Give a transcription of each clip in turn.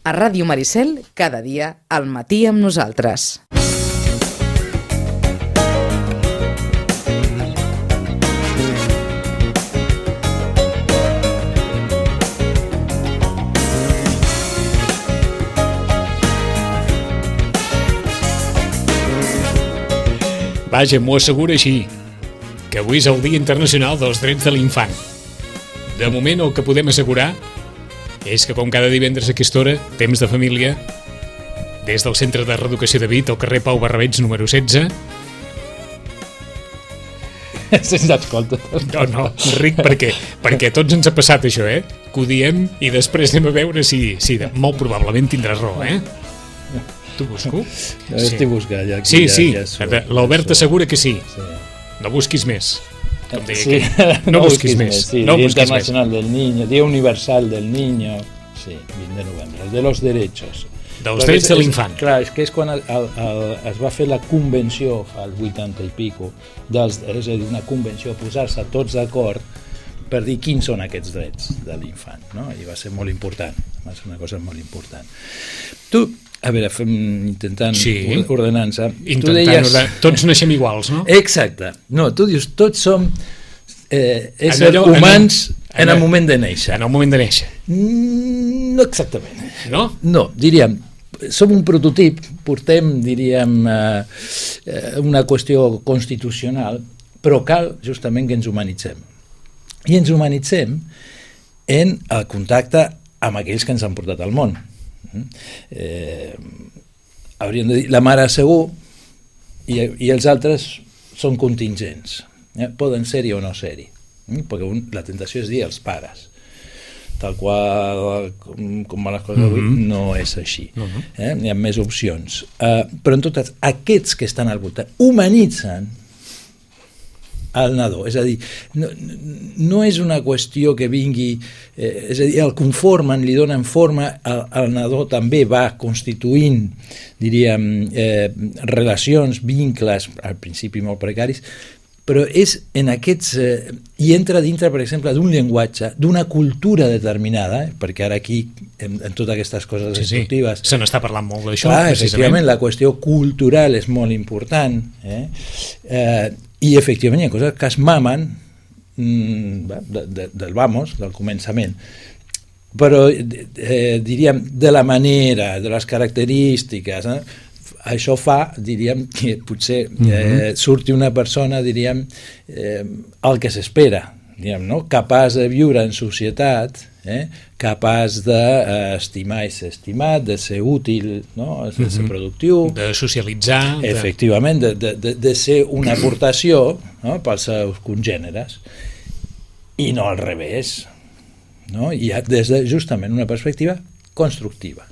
A Ràdio Maricel, cada dia, al matí amb nosaltres. Vaja, m'ho assegura així, que avui és el Dia Internacional dels Drets de l'Infant. De moment, el que podem assegurar és que, com cada divendres a aquesta hora, temps de família, des del Centre de Reeducació de Vit, al carrer Pau Barrabets, número 16... Se'ns escolta. No, Enric, perquè a tots ens ha passat això, que ho diem i després anem a veure si molt probablement tindràs raó, Tu busco? No, estic buscant. Ja, sí, ja l'Albert assegura que sí. No busquis més. Com deia sí. No busquis més. Sí, no Día busquis Internacional del Niño, Día Universal del Niño, sí, 20 de novembre, de los derechos. Dels drets de l'infant. Clar, és que és quan es va fer la convenció, fa el 80 i pico, és a dir, una convenció, posar-se tots d'acord per dir quins són aquests drets de l'infant, no? I va ser molt important, va ser una cosa molt important. Tu, a veure, intentant ordenar-se... Tots naixem iguals, no? Exacte. No, tu dius, tots som éssers humans en el moment de néixer. En el moment de néixer. No exactament. No? No, diríem, som un prototip, portem, diríem, una qüestió constitucional, però cal justament que ens humanitzem. I ens humanitzem en el contacte amb aquells que ens han portat al món. Hauríem de dir la mare segur i els altres són contingents, poden ser-hi o no ser-hi, perquè la tentació és dir els pares, tal qual com van les coses avui, no és així. Hi ha més opcions, però en tot cas aquests que estan al voltant humanitzen al nadó, és a dir, no és una qüestió que vingui, és a dir, el conformen, li donen forma, el nadó també va constituint, diríem, relacions, vincles, al principi molt precaris, però és en aquests, i entra dintre, per exemple, d'un llenguatge, d'una cultura determinada, perquè ara aquí, en totes aquestes coses instructives... Se n'està parlant molt d'això, precisament. Efectivament, la qüestió cultural és molt important, i efectivament hi ha coses que es mamen del vamos, del començament, però diríem de la manera, de les característiques, això fa, diríem, que potser surti una persona, diríem, el que s'espera, no? Capaç de viure en societat, capaç d'estimar i ser estimat, de ser útil, no? De ser productiu, de socialitzar, efectivament, de ser una aportació, no? Pels seus congèneres, i no al revés, no? I des de justament una perspectiva constructiva,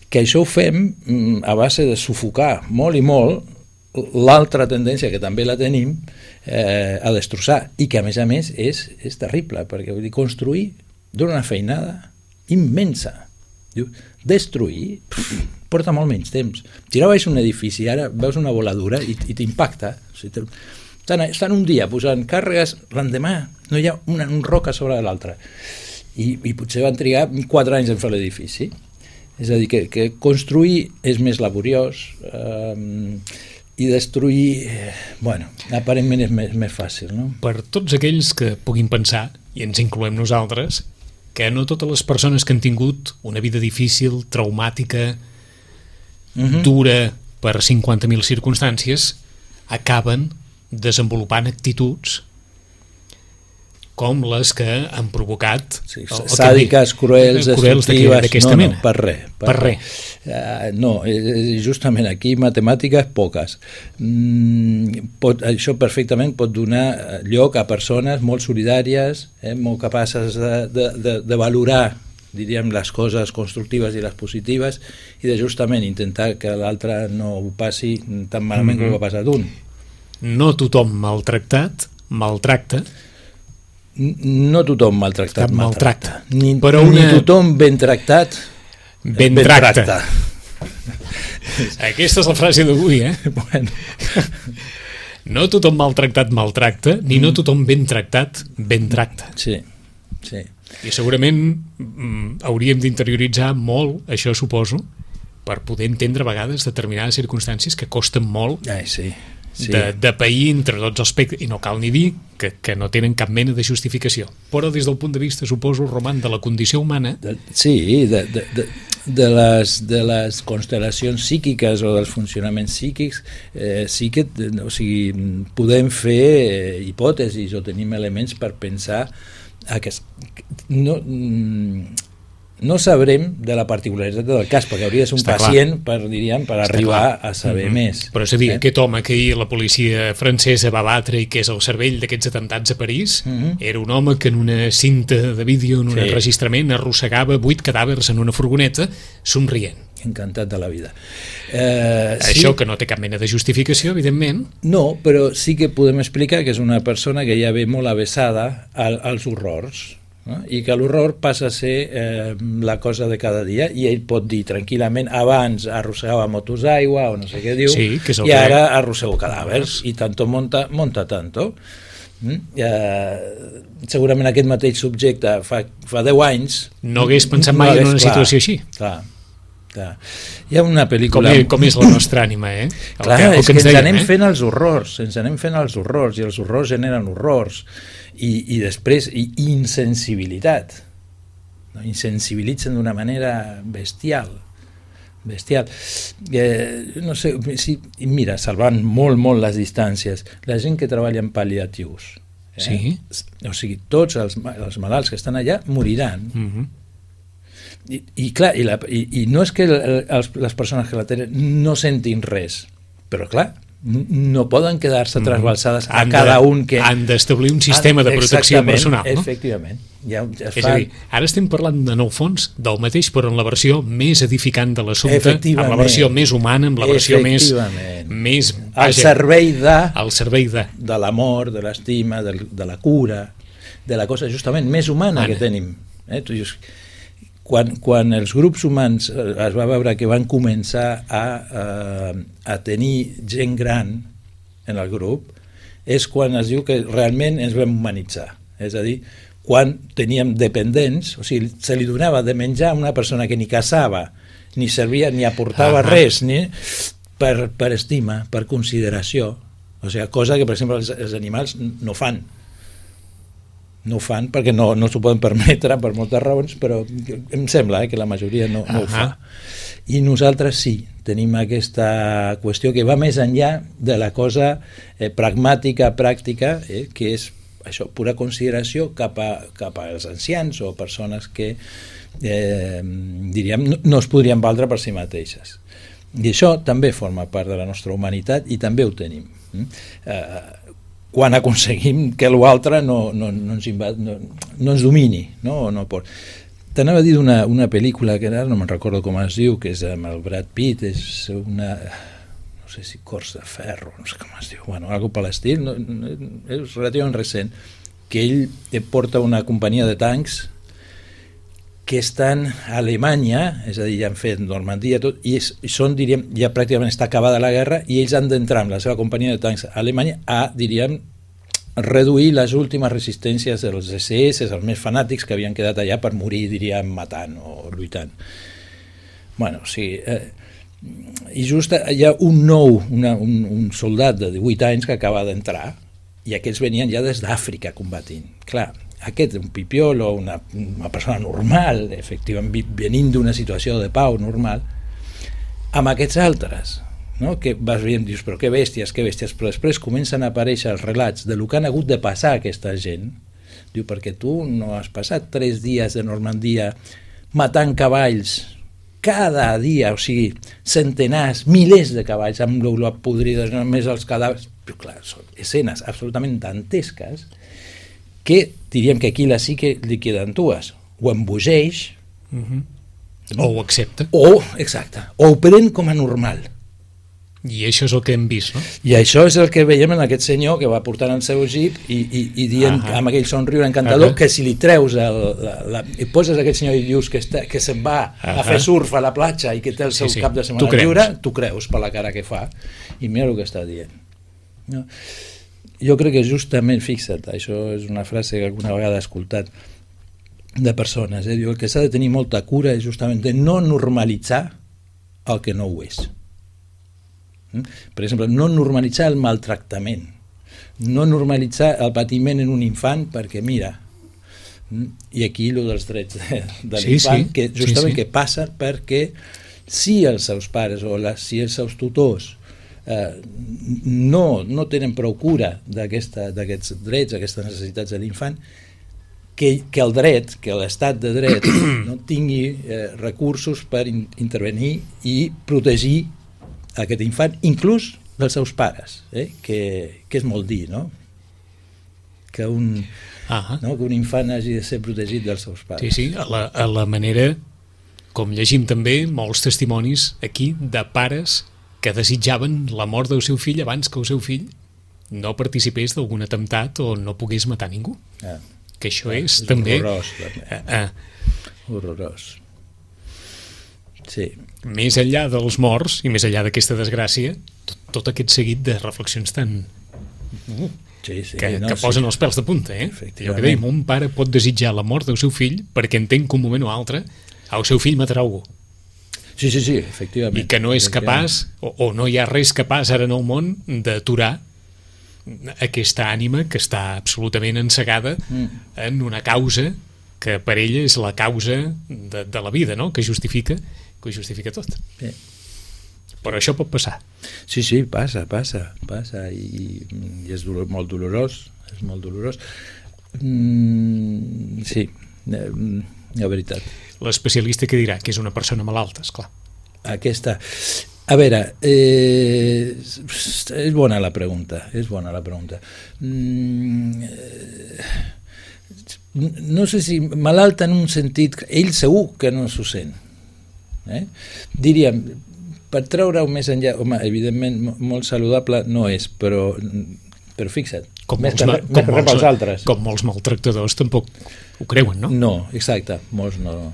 que això ho fem a base de sufocar molt i molt l'altra tendència, que també la tenim, a destrossar, i que a més és terrible, perquè vull dir, construir dona una feinada immensa. Destruir porta molt menys temps. Tirar baix un edifici, ara veus una voladura i t'impacta. Estan un dia posant càrregues, l'endemà no hi ha una roca sobre l'altra, i potser van trigar 4 anys en fer l'edifici. És a dir, que construir és més laboriós, i destruir, aparentment és més fàcil, no? Per tots aquells que puguin pensar, i ens incloem nosaltres, que no totes les persones que han tingut una vida difícil, traumàtica, dura per 50.000 circumstàncies, acaben desenvolupant actituds com les que han provocat sàdiques, cruels, destructives, d'aquesta mena. Per res. No, justament aquí matemàtiques poques. Això perfectament pot donar lloc a persones molt solidàries, molt capaces de valorar, diríem, les coses constructives i les positives, i de justament intentar que l'altre no ho passi tan malament com ho ha passat un. No tothom maltractat maltracta. No tothom maltractat maltracta. Ni tothom ben tractat ben tracta. Aquesta és la frase d'avui, Bueno. No tothom maltractat maltracta, ni no tothom ben tractat ben tracta. Sí. Sí. I segurament hauríem d'interioritzar molt, això suposo, per poder entendre a vegades determinades circumstàncies que costen molt Sí. de pair entre tots els aspectes, i no cal ni dir que no tenen cap mena de justificació. Però des del punt de vista, suposo, Roman, de la condició humana... De les constel·lacions psíquiques o dels funcionaments psíquics, sí que podem fer hipòtesis o tenim elements per pensar que no sabrem de la particularitat del cas, perquè hauria de ser un pacient per arribar a saber més. Però és a dir, aquest home que ahir la policia francesa va batre i que és el cervell d'aquests atemptats a París, era un home que en una cinta de vídeo, en un enregistrament, arrossegava 8 cadàvers en una furgoneta, somrient. Encantat de la vida. Això que no té cap mena de justificació, evidentment. No, però sí que podem explicar que és una persona que ja ve molt avesada als horrors, no? I que l'horror passa a ser la cosa de cada dia, i ell pot dir tranquil·lament, abans arrossegava motos d'aigua o no sé què diu, i ara arrossego cadàvers, i tanto monta tanto. Segurament aquest mateix subjecte fa 10 anys no hagués pensat mai en una situació així. Clar. Hi ha una pel·lícula... Com és la nostra ànima, Clar, és que ens anem fent els horrors, i els horrors generen horrors, i després insensibilitat. Insensibilitzen d'una manera bestial. No sé, mira, salvant molt les distàncies, la gent que treballa en pal·liatius, o sigui, tots els malalts que estan allà moriran. I clar, i no és que les persones que la tenen no sentin res, però clar, no poden quedar-se trasbalsades a cada un que... Han d'establir un sistema de protecció personal, no? Efectivament. És a dir, ara estem parlant, en el fons, del mateix, però en la versió més edificant de l'assumpte, amb la versió més humana, amb la versió més al servei de l'amor, de l'estima, de la cura, de la cosa justament més humana que tenim. Quan els grups humans es va veure que van començar a tenir gent gran en el grup, és quan es diu que realment ens vam humanitzar. És a dir, quan teníem dependents, o sigui, se li donava de menjar a una persona que ni caçava, ni servia, ni aportava res, per estima, per consideració. O sigui, cosa que, per exemple, els animals no fan. No ho fan perquè no s'ho poden permetre per moltes raons, però em sembla que la majoria no ho fa. I nosaltres sí, tenim aquesta qüestió que va més enllà de la cosa pragmàtica, pràctica, que és això, pura consideració cap als ancians o persones que diríem no es podrien valdre per si mateixes. I això també forma part de la nostra humanitat i també ho tenim. Quan aconseguim que l'altre no ens domini, no pot. T'anava a dir d'una pel·lícula que ara no me'n recordo com es diu, que és amb el Brad Pitt, és una... no sé si Cors de Ferro, no sé com es diu, algo per l'estil, és relativament recent, que ell porta una companyia de tancs que estan a Alemanya, és a dir, ja han fet Normandia, tot, i són, diríem, ja pràcticament està acabada la guerra, i ells han d'entrar amb la seva companyia de tancs a Alemanya a, diríem, reduir les últimes resistències dels SS, els més fanàtics que havien quedat allà per morir, diríem, matant o lluitant. Bueno, o sigui... I just hi ha un soldat de 18 anys que acaba d'entrar, i aquests venien ja des d'Àfrica combatint. Clar, aquest, un pipiolo, una persona normal, efectivament, venint d'una situació de pau normal, amb aquests altres, no? Que vas veient, dius, però que bèsties, però després comencen a aparèixer els relats de lo que han hagut de passar a aquesta gent. Diu, perquè tu no has passat 3 dies de Normandia matant cavalls cada dia, o sigui, centenars, milers de cavalls amb l'olor podrides, només els cadàvers, però clar, són escenes absolutament dantesques que diríem que aquí la psique li queden dues, o embogeix o ho accepta exacte, o ho pren com a normal, i això és el que hem vist, no? I això és el que veiem en aquest senyor que va portant el seu jeep i dient amb aquell somriure encantador que si li treus i poses aquest senyor i dius que se'n va a fer surf a la platja i que té el seu cap de setmana lliure, tu creus per la cara que fa i mira el que està dient, no? Jo crec que justament, fixa't, això és una frase que alguna vegada he escoltat, de persones. Diu, el que s'ha de tenir molta cura és justament de no normalitzar el que no ho és. Per exemple, no normalitzar el maltractament, no normalitzar el patiment en un infant perquè, mira, i aquí el dels drets de l'infant, que justament que passa perquè si els seus pares o si els seus tutors no tenen prou cura d'aquests drets, aquestes necessitats de l'infant, que el dret, que l'estat de dret no tingui recursos per intervenir i protegir aquest infant, inclús dels seus pares, que és molt dir, no? Que un infant hagi de ser protegit dels seus pares. Sí, a la manera, com llegim també molts testimonis aquí de pares que desitjaven la mort del seu fill abans que el seu fill no participés d'algun atemptat o no pogués matar ningú. Que això és també... Horrorós. Sí. Més enllà dels morts i més enllà d'aquesta desgràcia, tot aquest seguit de reflexions tan... que posen els pèls de punta, Allò que dèiem, un pare pot desitjar la mort del seu fill perquè entén que un moment o altre el seu fill matarà algú. Sí, efectivament. I que no és capaç, o no hi ha res capaç ara en el món d'aturar aquesta ànima que està absolutament encegada en una causa que per ella és la causa de la vida, no? que justifica tot. Bé. Però això pot passar. Sí, passa i és molt dolorós, sí, la veritat. L'especialista que dirà que és una persona malalta, esclar. Aquesta... A veure, és bona la pregunta, no sé si malalta en un sentit, ell segur que no s'ho sent. Diríem, per treure-ho més enllà, home, evidentment molt saludable no és, però fixa't, més que pels altres. Com molts maltractadors tampoc ho creuen, no? No, exacte, molts no ho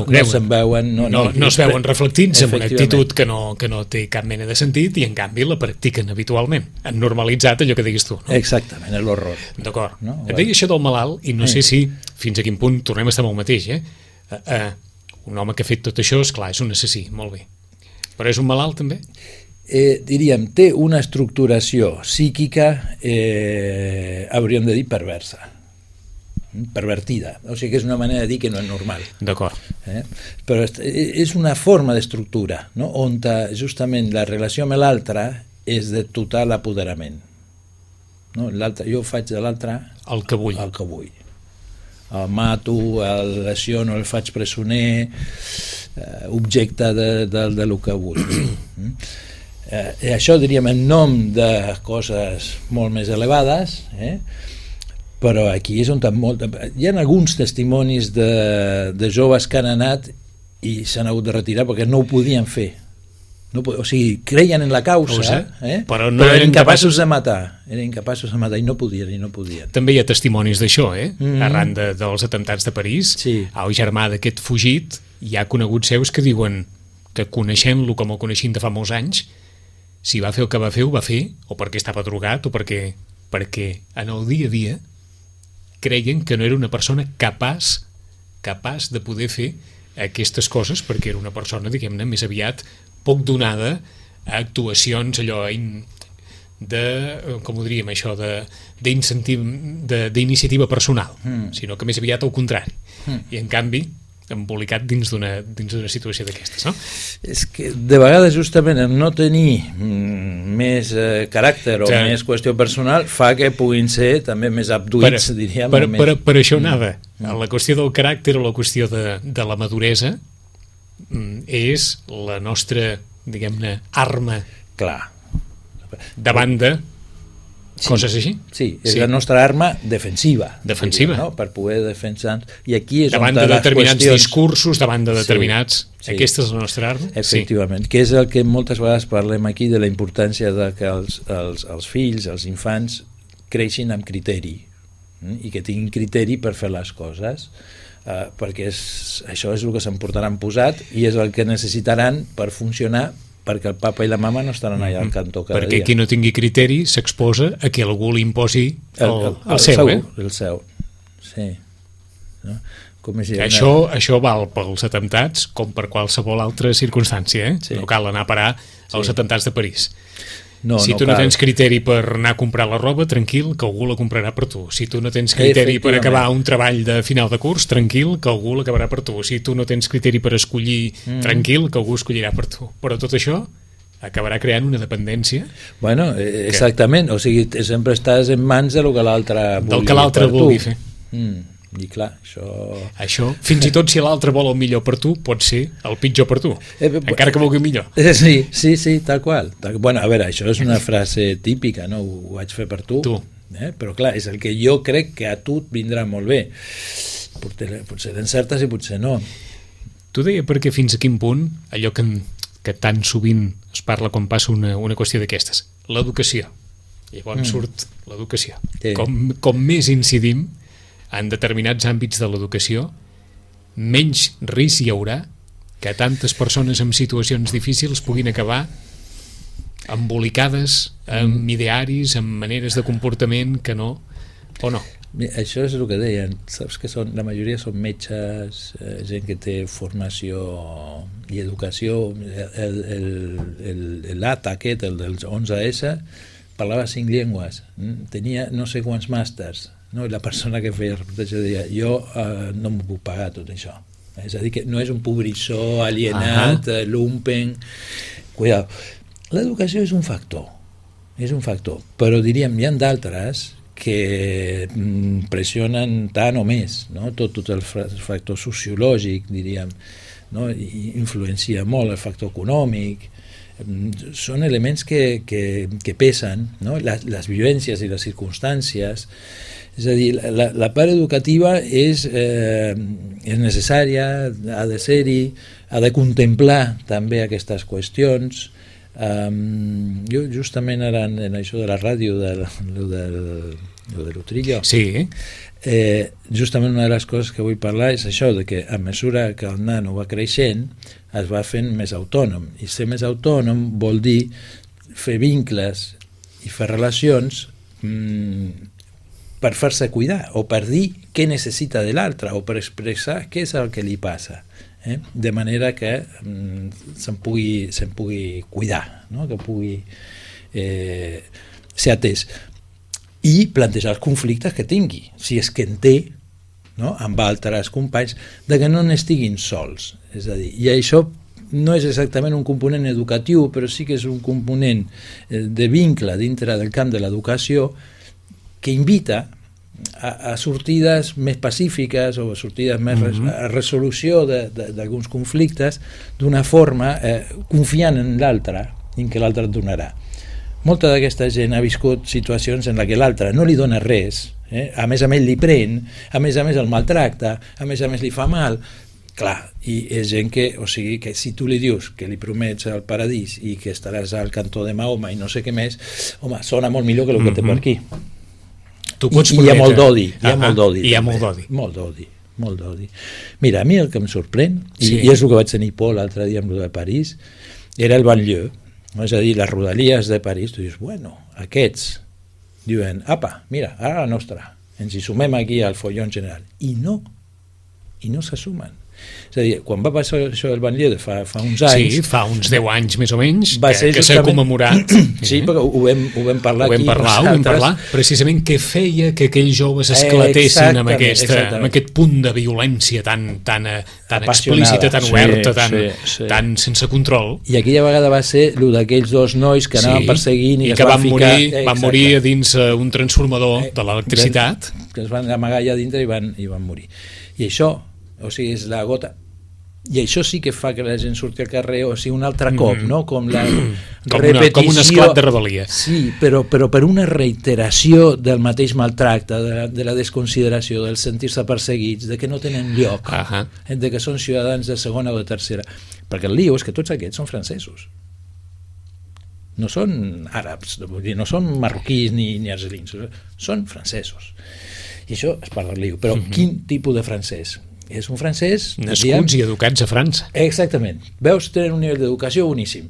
creuen. No se'n veuen. No es veuen reflectits en una actitud que no té cap mena de sentit i en canvi la practiquen habitualment. Han normalitzat allò que diguis tu, no? Exactament, és l'horror. D'acord. No? Et deia això del malalt i no sé si fins a quin punt tornem a estar amb el mateix, un home que ha fet tot això, esclar, és un assassí, molt bé. Però és un malalt també? Diríem, té una estructuració psíquica, hauríem de dir perversa, pervertida, o sigui que és una manera de dir que no és normal. D'acord. Però és una forma d'estructura, no? On justament la relació amb l'altre és de total apoderament. No? Jo faig de l'altre el que vull. El mato, el lesiono, el faig presoner, objecte del que vull. Això diríem en nom de coses molt més elevades, però aquí és on hi ha alguns testimonis de joves que han anat i s'han hagut de retirar perquè no ho podien fer. O sigui, creien en la causa, però eren incapaços de matar. Eren incapaços de matar i no podien. També hi ha testimonis d'això, arran dels atemptats de París. Sí. El germà d'aquest fugit, hi ha coneguts seus que diuen que coneixent-lo com el coneixien de fa molts anys, si va fer el que va fer, ho va fer o perquè estava drogat o perquè en el dia a dia creien que no era una persona capaç de poder fer aquestes coses perquè era una persona, diguem-ne, més aviat poc donada a actuacions allò com ho diríem això, d'iniciativa personal, sinó que més aviat al contrari. I en canvi embolicat dins d'una situació d'aquestes, no? És que de vegades justament el no tenir més caràcter o més qüestió personal fa que puguin ser també més abduïts, diríem. Per això anava. La qüestió del caràcter o la qüestió de la maduresa és la nostra, diguem-ne, arma davant de coses així. Sí, és la nostra arma defensiva. Defensiva. No? Per poder defensar. I aquí és davant de determinats discursos, davant de determinats... Aquesta és la nostra arma? Efectivament, que és el que moltes vegades parlem aquí de la importància de que els fills, els infants, creixin amb criteri i que tinguin criteri per fer les coses, perquè això és el que s'emportaran posat i és el que necessitaran per funcionar, perquè el papa i la mama no estaran allà al cantó cada dia. Perquè qui no tingui criteri s'exposa a que algú li imposi el seu, el seu, sí. No? Això val pels atemptats com per qualsevol altra circumstància, eh? Sí. No cal anar a parar als atemptats de París. Si No tu no cal. tens criteri per anar a comprar la roba, tranquil, que algú la comprarà per tu. Si tu no tens criteri per acabar un treball de final de curs, tranquil, que algú l'acabarà per tu. Si tu no tens criteri per escollir, tranquil, que algú escollirà per tu. Però tot això acabarà creant una dependència. Bueno, exactament, o sigui, sempre estàs en mans del que l'altre vulgui fer. I clar, això, fins i tot si l'altre vol el millor per tu, pot ser el pitjor per tu, encara que vulgui el millor. Sí, tal qual. Bueno, a veure, això és una frase típica, no? Ho vaig fer per tu. Però clar, és el que jo crec que a tu et vindrà molt bé. Potser t'encertes i potser no. Tu deia perquè fins a quin punt allò que tan sovint es parla quan passa una qüestió d'aquestes, l'educació. Llavors surt l'educació. Sí. Com més incidim en determinats àmbits de l'educació, menys risc hi haurà que tantes persones en situacions difícils puguin acabar embolicades amb idearis, amb maneres de comportament que no, o no. Això és el que deien, saps que la majoria són metges, gent que té formació i educació. L'ATA aquest, el dels 11S, parlava 5 llengües, tenia no sé quants màsters, no? I la persona que feia el reportatge deia, jo no m'ho puc pagar tot això. És a dir, que no és un pobrissó alienat, lumpen. Cuidado. L'educació és un factor, però diríem, hi ha d'altres que pressionen tant o més, no? Tot el factor sociològic, diríem, no? I influencia molt el factor econòmic. Són elements que pesen, no? Les vivències i les circumstàncies. És a dir, la part educativa és necessària, ha de ser-hi, ha de contemplar també aquestes qüestions. Jo justament ara en això de la ràdio de l'Utrillo, sí. Justament una de les coses que vull parlar és això, de que a mesura que el nano va creixent es va fent més autònom, i ser més autònom vol dir fer vincles i fer relacions per fer-se cuidar, o per dir què necessita de l'altre, o per expressar què és el que li passa, de manera que se'n pugui cuidar, no? Que pugui ser atès, i plantejar els conflictes que tingui, si és que en té, no? Amb altres companys, de que no n'estiguin sols. És a dir, i això no és exactament un component educatiu, però sí que és un component de vincle dintre del camp de l'educació que invita a sortides més pacífiques o a sortides més a resolució d'alguns conflictes d'una forma confiant en l'altre, en què l'altre et donarà. Molta d'aquesta gent ha viscut situacions en què l'altre no li dona res, a més li pren, a més el maltracta, a més li fa mal. Clar, i és gent que, o sigui, que si tu li dius que li promets el paradís i que estaràs al cantó de Mahoma i no sé què més, home, sona molt millor que el que té per aquí. I hi ha molt d'odi. Molt d'odi. Mira, a mi el que em sorprèn, i és el que vaig tenir por l'altre dia amb el de París, era el banlieue, és a dir, les rodalies de París. Tu dius, bueno, aquests diuen, apa, mira, ara la nostra, ens hi sumem aquí al follon general. I no s'assumen. És a dir, quan va passar això del banlieue fa uns anys... Sí, fa uns 10 anys més o menys, que s'ha justament commemorat. Sí, perquè ho vam parlar aquí. Ho vam parlar, precisament què feia que aquells joves esclatessin amb aquest punt de violència tan explícita, tan oberta, tan sense control. I aquella vegada va ser el d'aquells dos nois que anaven perseguint i que van morir a dins un transformador de l'electricitat. Que es van amagar allà dintre i van morir. I això, o sigui, és la gota, i això sí que fa que la gent surti al carrer, o sigui, un altre cop, no? Com la repetició, com un esclat de rebel·lia. Sí, però per una reiteració del mateix maltracte, de la desconsideració, del sentir-se perseguits, de que no tenen lloc, de que són ciutadans de segona o de tercera, perquè el lío és que tots aquests són francesos, no són àrabs, no són marroquís ni argelins, són francesos, i això és part del lío. Però quin tipus de francès? És un francès... Nascuts i educats a França. Exactament. Veus, tenen un nivell d'educació boníssim.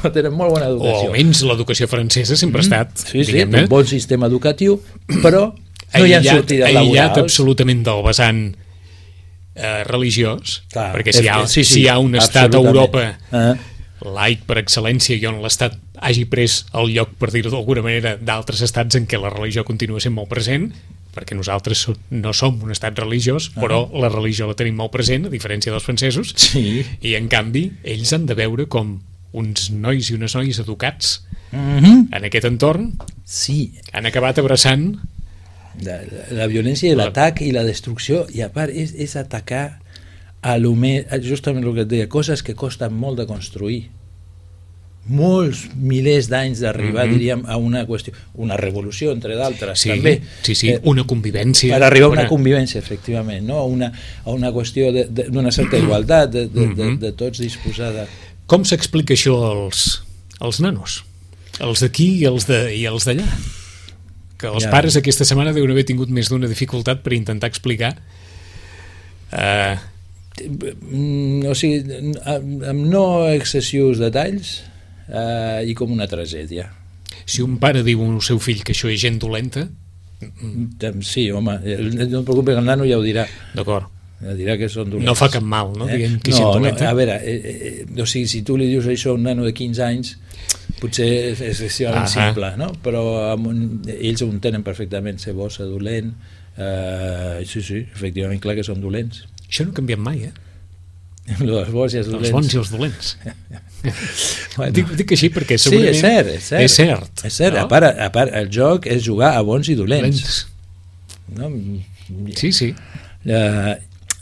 Tenen molt bona educació. O almenys l'educació francesa sempre ha estat, diguem-ne. Un bon sistema educatiu, però no hi ha sortides laborals. Aïllat absolutament del vessant religiós, Clar, perquè si hi ha un estat a Europa laic per excel·lència i on l'Estat hagi pres el lloc, per dir-ho d'alguna manera, d'altres estats en què la religió continua sent molt present, perquè nosaltres no som un estat religiós, però la religió la tenim molt present, a diferència dels francesos, i en canvi ells han de veure com uns nois i unes noies educats en aquest entorn han acabat abraçant la violència i l'atac i la destrucció, i a part és atacar a justament el que et deia, coses que costen molt de construir, molts milers d'anys d'arribar, diríem, a una qüestió, una revolució, entre d'altres, també. Una convivència. Per arribar a una convivència, efectivament, no? A una qüestió d'una certa igualtat, de tots disposar de... Com s'explica això als nanos? Els d'aquí i els d'allà? Que els pares aquesta setmana deuen haver tingut més d'una dificultat per intentar explicar... o sigui, amb no excessius detalls i com una tragèdia. Si un pare diu al seu fill que això és gent dolenta... Sí, home, no et preocupis, el nano ja ho dirà. D'acord. Ja dirà que són dolents. No fa cap mal, no? Diguem que és gent dolenta. A veure, o sigui, si tu li dius això a un nano de 15 anys, potser és excessivament simple, no? Però ells ho entenen perfectament, ser bo, ser dolent. Sí, efectivament, clar que són dolents. Això no ha canviat mai, Els bons i els dolents. Els bons i els dolents. Dic així perquè segurament és cert. No? A part, el joc és jugar a bons i dolents. No? Sí.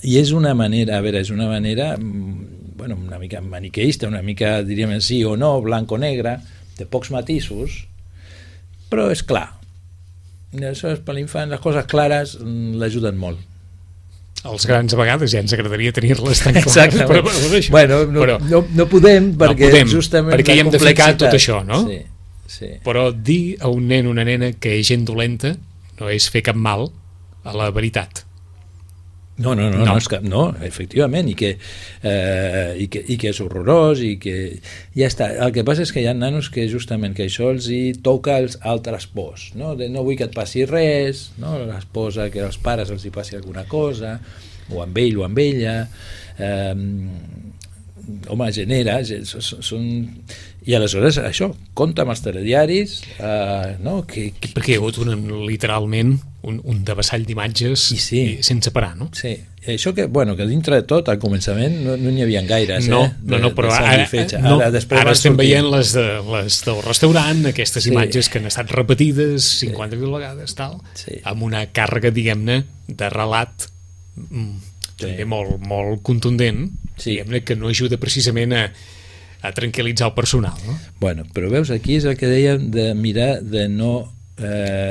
I és una manera, una mica maniqueista, una mica, diríem sí o no, blanc o negre, de pocs matisos, però és clar. Això per l'infant, les coses clares l'ajuden molt. Els grans a vegades ja ens agradaria tenir-les tan clares, però no podem perquè justament perquè hi hem de ficar tot això, no? Sí. Però dir a un nen o una nena que és gent dolenta no és fer cap mal a la veritat. No, efectivament, i que és horrorós, i que ja està. El que passa és que hi ha nanos que justament que això els hi toca als altres pors, no? No vull que et passi res, no? L'esposa, que als pares els hi passi alguna cosa, o amb ell o amb ella, home, genera, i aleshores això, compta amb els telediaris, no? Perquè hi ha hagut literalment un devessall d'imatges sense parar, no? Sí, això que dintre de tot al començament no n'hi havia gaires, però ara estem veient les del restaurant, aquestes imatges que han estat repetides 50.000 vegades, amb una càrrega, diguem-ne, de relat també molt contundent, diguem-ne, que no ajuda precisament a tranquil·litzar el personal, no? Bueno, però veus, aquí és el que dèiem de mirar de no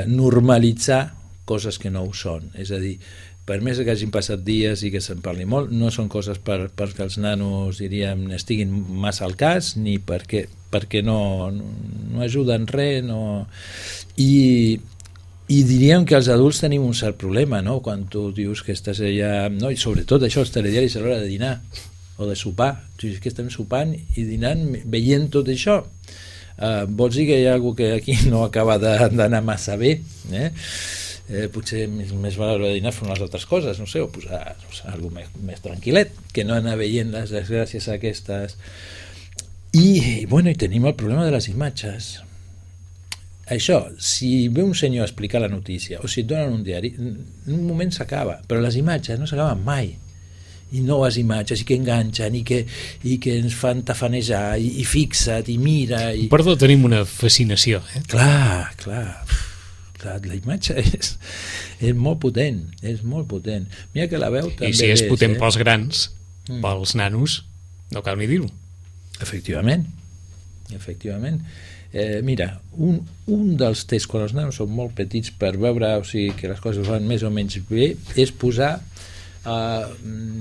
normalitzar coses que no ho són, és a dir, per més que hagin passat dies i que se'n parli molt, no són coses perquè els nanos, diríem, estiguin massa al cas, ni perquè no ajuden res, i diríem que els adults tenim un cert problema, no? Quan tu dius que estàs allà, no? I sobretot això, els telediaris a l'hora de dinar o de sopar, tu dius que estem sopant i dinant veient tot això, vols dir que hi ha algú que aquí no acaba d'anar massa bé, potser més val a l'hora de dinar fer unes altres coses, no sé, o posar alguna cosa més tranquil·let, que no anar veient les desgràcies aquestes. I tenim el problema de les imatges. Això, si ve un senyor a explicar la notícia o si et donen un diari, en un moment s'acaba, però les imatges no s'acaben mai, i noves imatges, i que enganxen, i que ens fan tafanejar, i fixa't, i mira... Perdó, tenim una fascinació. Clar, la imatge és molt potent, Mira que la veu també i si és potent pels grans, pels nanos, no cal ni dir-ho. Efectivament. Mira, un dels tests quan els nanos són molt petits per veure, o sigui, que les coses van més o menys bé, és posar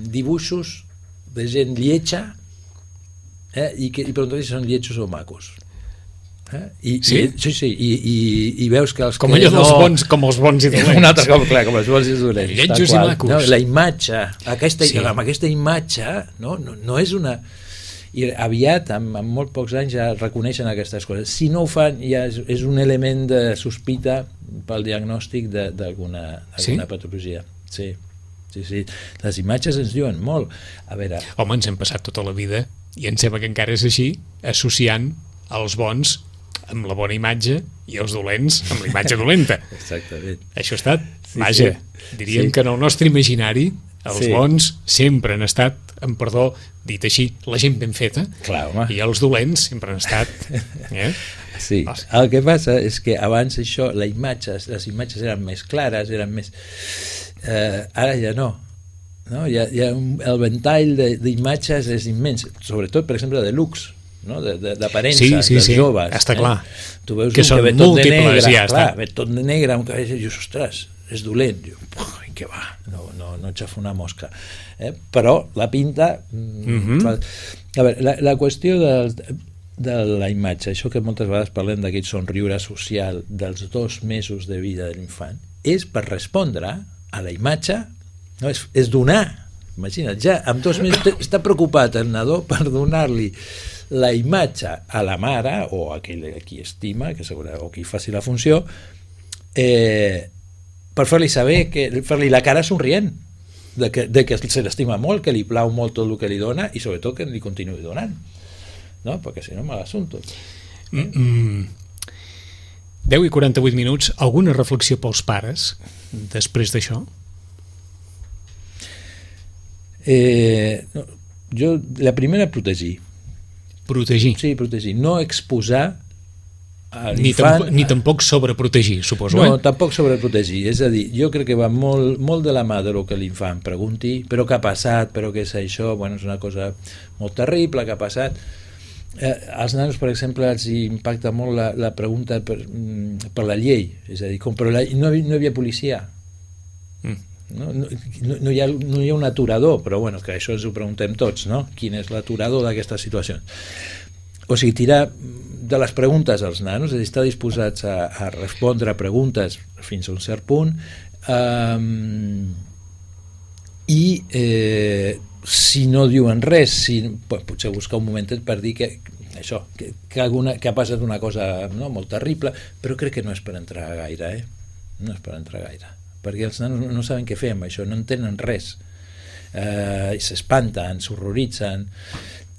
dibuixos de gent lletja i preguntar si són lletjos o macos. I veus que els com allò dels bons, com els bons i dolents. Un altre cop, clar, com els bons i dolents. Lletjos i macos. No, la imatge, amb aquesta imatge, no és una... I aviat, amb molt pocs anys, ja reconeixen aquestes coses. Si no ho fan, ja és un element de sospita pel diagnòstic d'alguna patologia. Sí. Sí. Les imatges ens diuen molt. A veure... Home, ens hem passat tota la vida, i em sembla que encara és així, associant els bons amb la bona imatge i els dolents amb la imatge dolenta. Exactament. Això ha estat, vaja, diríem que en el nostre imaginari els bons sempre han estat, amb perdó, dit així, la gent ben feta. Clar, home. I els dolents sempre han estat... Sí, el que passa és que abans això, les imatges eren més clares, eren més... ara ja no. El ventall d'imatges és immens, sobretot, per exemple, de looks, no? D'aparença, dels joves. Està clar. Tu veus que són ve tot de negre, ve tot de negre, amb cabell, i dius, ostres, és dolent. Què va, no aixafa una mosca. Però la pinta... A veure, la qüestió de la imatge, això que moltes vegades parlem d'aquest somriure social dels 2 mesos de vida de l'infant, és per respondre a la imatge, no, és donar. Imagina't, ja amb 2 mesos està preocupat el nadó per donar-li la imatge a la mare o a qui estima, o qui faci la funció, per fer-li saber, fer-li la cara somrient, de que se l'estima molt, que li plau molt tot el que li dona i sobretot que li continuï donant, no? Perquè si no mal assumpte. 10 i 48 minuts. Alguna reflexió pels pares després d'això? Jo, la primera, protegir. Sí, protegir. No exposar ni tampoc sobreprotegir, suposo. No, tampoc sobreprotegir. És a dir, jo crec que va molt de la mà del que l'infant pregunti, però què ha passat, però què és això, bueno, és una cosa molt terrible que ha passat. Als nanos, per exemple, els impacta molt la pregunta per la llei, és a dir, però no hi havia policia. No hi ha un aturador, però bueno, que això ens ho preguntem tots, no? Quin és l'aturador d'aquestes situacions? O sigui, tirar de les preguntes als nanos, és a dir, estar disposats a respondre a preguntes fins a un cert punt, i si no diuen res, potser buscar un momentet per dir que ha passat una cosa molt terrible, però crec que no és per entrar gaire, no és per entrar gaire, perquè els nanos no saben què fer amb això, no entenen res, s'espanten, s'horroritzen,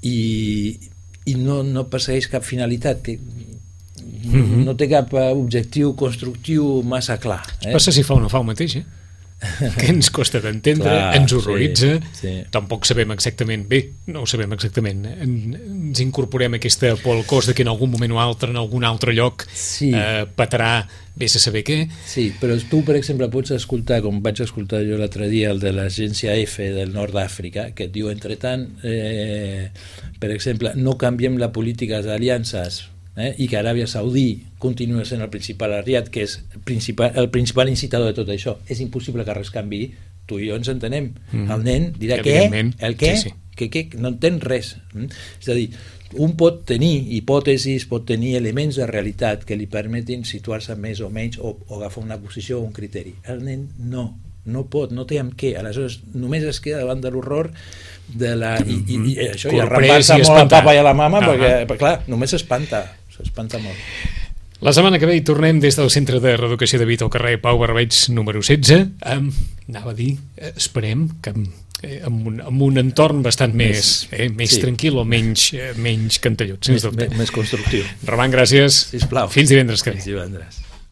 i no persegueix cap finalitat, que no té cap objectiu constructiu massa clar. Passa si fa o no fa el mateix, que ens costa d'entendre, ens horroritza, tampoc sabem exactament, no ho sabem exactament, ens incorporem aquesta por al cos de que en algun moment o altre, en algun altre lloc, petarà, vés a saber què. Sí, però tu, per exemple, pots escoltar, com vaig escoltar jo l'altre dia, el de l'agència F del nord d'Àfrica, que et diu, entretant, per exemple, no canviem la política d'aliances, i que Aràbia Saudí continua sent el principal aliat, que és el principal incitador de tot això. És impossible que res canvi, tu i jo ens entenem. El nen dirà què? El què? Que no entén res. És a dir, un pot tenir hipòtesis, pot tenir elements de realitat que li permetin situar-se més o menys o agafar una posició o un criteri. El nen no pot, no té amb què. Aleshores només es queda davant de l'horror de la... i això, i arrapar-se molt al papa i a la mama, perquè clar, només s'espanta molt. La setmana que ve hi tornem des del Centre de Reeducació de Vita al carrer Pau Barbeig número 16, anava a dir, esperem que amb un entorn bastant més tranquil o menys cantellut, sens dubte. Més constructiu. Roman, gràcies. Sisplau. Fins divendres que ve. Fins divendres.